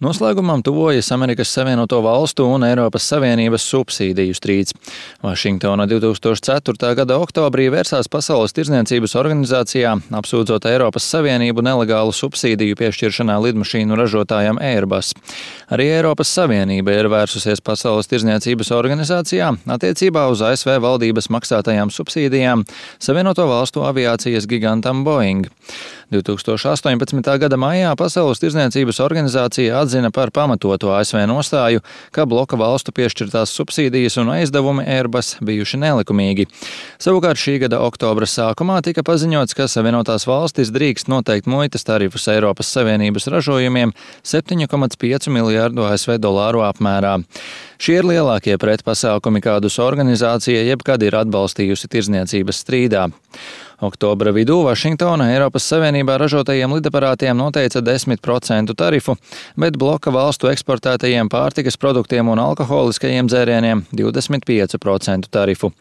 Noslēgumam tuvojas Amerikas Savienoto Valstu un Eiropas Savienības subsīdiju strīds. Vašingtona 2004. gada oktobrī vērsās Pasaules tirdzniecības organizācijā, apsūdzot Eiropas Savienību nelegālu subsīdiju piešķiršanā lidmašīnu ražotājam Airbus. Arī Eiropas Savienība ir vērsusies Pasaules tirdzniecības organizācijā attiecībā uz ASV valdības maksātajām subsīdijām Savienoto Valstu aviācijas gigantam Boeing. 2018. gada maijā Pasaules tirdzniecības organizācija atzina par pamatotu ASV nostāju, ka bloka valstu piešķirtās subsīdijas un aizdevumi Airbus bijuši nelikumīgi. Savukārt šī gada oktobra sākumā tika paziņots, ka Savienotās valstis drīkst noteikt muitas tarifus Eiropas Savienības ražojumiem 7,5 miljārdu ASV dolāru apmērā. Šie ir lielākie pretpasākumi, kādus organizācija jebkad ir atbalstījusi tirdzniecības strīdā. Oktobra vidū Vašingtona Eiropas Savienībā ražotajiem lidaparātiem noteica 10% tarifu, bet bloka valstu eksportētajiem pārtikas produktiem un alkoholiskajiem dzērieniem 25% tarifu.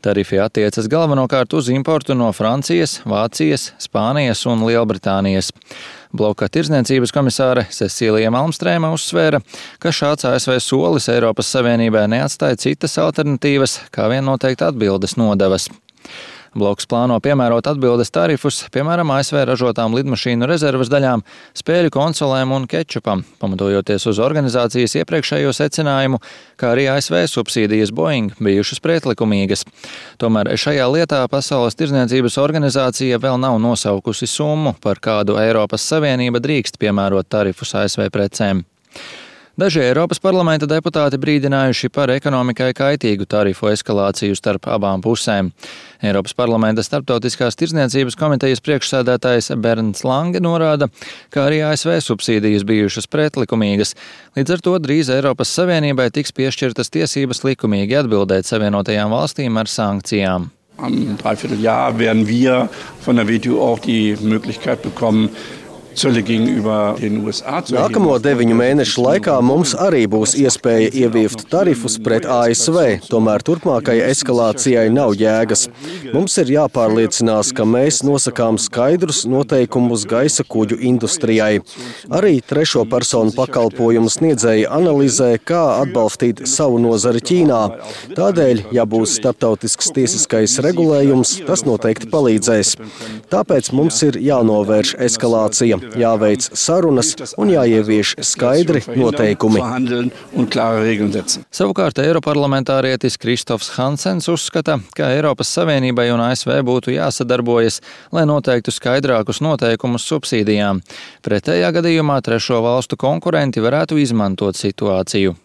Tarifi attiecas galvenokārt uz importu no Francijas, Vācijas, Spānijas un Lielbritānijas. Bloka tirdzniecības komisāre Cecīlija Malmstrēma uzsvēra, ka šāds ASV solis Eiropas Savienībai neatstāja citas alternatīvas, kā vien noteikti atbildes nodevas. Bloks plāno piemērot atbildes tarifus, piemēram, ASV ražotām lidmašīnu rezerves daļām, spēļu konsolēm un kečupam, pamatojoties uz organizācijas iepriekšējo secinājumu, kā arī ASV subsīdijas Boeing bijušas pretlikumīgas. Tomēr šajā lietā Pasaules tirdzniecības organizācija vēl nav nosaukusi summu, par kādu Eiropas Savienība drīkst piemērot tarifus ASV precēm. Daži Eiropas parlamenta deputāti brīdinājuši par ekonomikai kaitīgu tarifu eskalāciju starp abām pusēm. Eiropas parlamenta starptautiskās tirdzniecības komitejas priekšsēdētājs Bernds Lange norāda, ka arī ASV subsīdijas bijušas pretlikumīgas. Līdz ar to drīz Eiropas Savienībai tiks piešķirtas tiesības likumīgi atbildēt Savienotajām valstīm ar sankcijām. Am Dreivierteljahr werden wir von der WTO auch die Möglichkeit bekommen, Nākamo 9 mēnešu laikā mums arī būs iespēja ieviest tarifus pret ASV, tomēr turpmākai eskalācijai nav jēgas. Mums ir jāpārliecinās, ka mēs nosakām skaidrus noteikumus gaisa kuģu industrijai. Arī trešo personu pakalpojumu sniedzēji analizē, kā atbalstīt savu nozari Ķīnā. Tādēļ, ja būs starptautisks tiesiskais regulējums, tas noteikti palīdzēs. Tāpēc mums ir jānovērš eskalācija. Jāveic sarunas un jāievieš skaidri noteikumi. Savukārt eiroparlamentārietis Kristofs Hansens uzskata, ka Eiropas Savienībai un ASV būtu jāsadarbojas, lai noteiktu skaidrākus noteikumus subsīdijām. Pretējā gadījumā trešo valstu konkurenti varētu izmantot situāciju.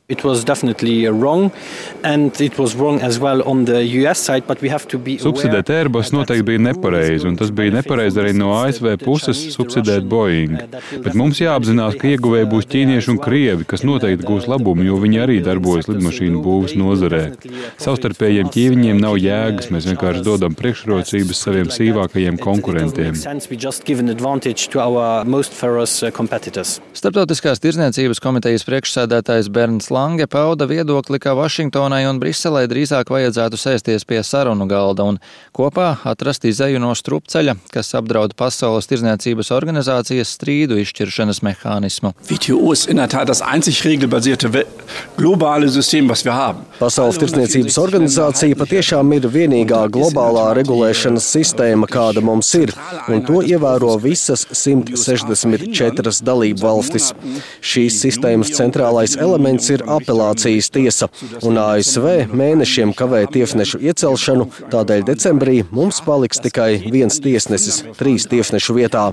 Subsidēt Airbus noteikti bija nepareizi, un tas bija nepareizi arī no ASV puses subsidēt Boeing. Bet mums jāapzinās, ka ieguvēji būs ķīnieši un krievi, kas noteikti gūs labumu, jo viņi arī darbojas lidmašīnu būvas nozarē. Savstarpējiem ķīviņiem nav jēgas, mēs vienkārši dodam priekšrocības saviem sīvākajiem konkurentiem. Starptautiskās tirdzniecības komitejas priekšsēdētājs Bernds Lange pauda viedokli, ka Vašingtonai un Briselei drīzāk vajadzētu sēsties pie sarunu galda un kopā atrast izeju no strupceļa, kas apdraud Pasaules tirdzniecības organizācijas strīdu izšķiršanas mehānismu. Pasaules tirdzniecības organizācija patiešām ir vienīgā globālā regulēšanas sistēma, kāda mums ir, un to ievēro visas 164 dalību valstis. Šīs sistēmas centrālais elements ir apelācijas tiesa, un ASV mēnešiem kavē tiesnešu iecelšanu, tādēļ decembrī mums paliks tikai viens tiesnesis 3 tiesnešu vietā.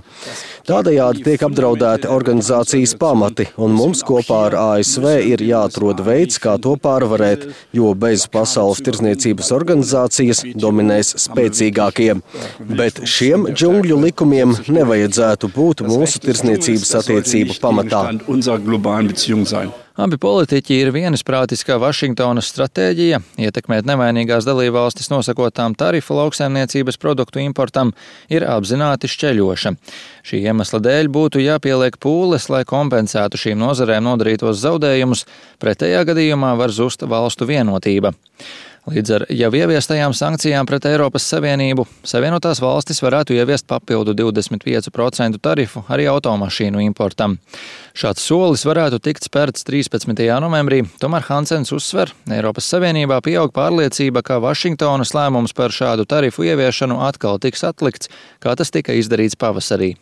Tādējādi tiek apdraudēti organizācijas pamati, un mums kopā ar ASV ir jāatrod veids, kā to pārvarēt, jo bez Pasaules tirdzniecības organizācijas dominēs spēcīgākie. Bet šiem džungļu likumiem nevajadzētu būt mūsu tirdzniecības attiecību pamatā. Abi politiķi ir vienisprātis, ka Vašingtonas stratēģija ietekmēt nevainīgās dalībvalstis nosakotām tarifu lauksaimniecības produktu importam ir apzināti šķeļoša. Šī iemesla dēļ būtu jāpieliek pūles, lai kompensētu šīm nozarēm nodarītos zaudējumus, pretējā gadījumā var zust valstu vienotība. Līdz ar jau ieviestajām sankcijām pret Eiropas Savienību, Savienotās valstis varētu ieviest papildu 25% tarifu arī automašīnu importam. Šāds solis varētu tikt spērts 13. novembrī, tomēr Hansens uzsver, Eiropas Savienībā pieaug pārliecība, ka Vašingtonas lēmums par šādu tarifu ieviešanu atkal tiks atlikts, kā tas tika izdarīts pavasarī.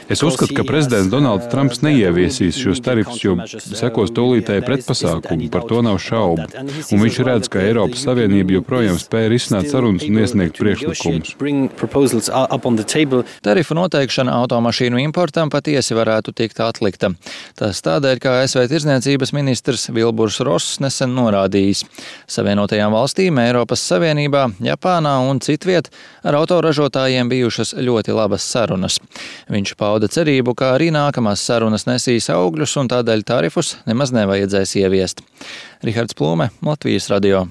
Es uzskatu, ka prezidents Donalds Trumps neieviesīs šos tarifus, jo sekos tūlītēji pretpasākumi, par to nav šaubu. Un viņš redz, ka Eiropas Savienība joprojām spēja risināt sarunas un iesniegt priekšlikumus. Tarifu noteikšana automašīnu importam patiesi varētu tikt atlikta. Tas tādēļ, kā ASV tirdzniecības ministrs Vilburs Ross nesen norādījis. Savienotajām valstīm, Eiropas Savienībā, Japānā un citviet ar autoražotājiem bijušas ļoti labas sarunas. Viņš pauda cerību, ka arī nākamās sarunas nesīs augļus un tādēļ tarifus nemaz nevajadzēs ieviest. Rihards Plūme, Latvijas radio.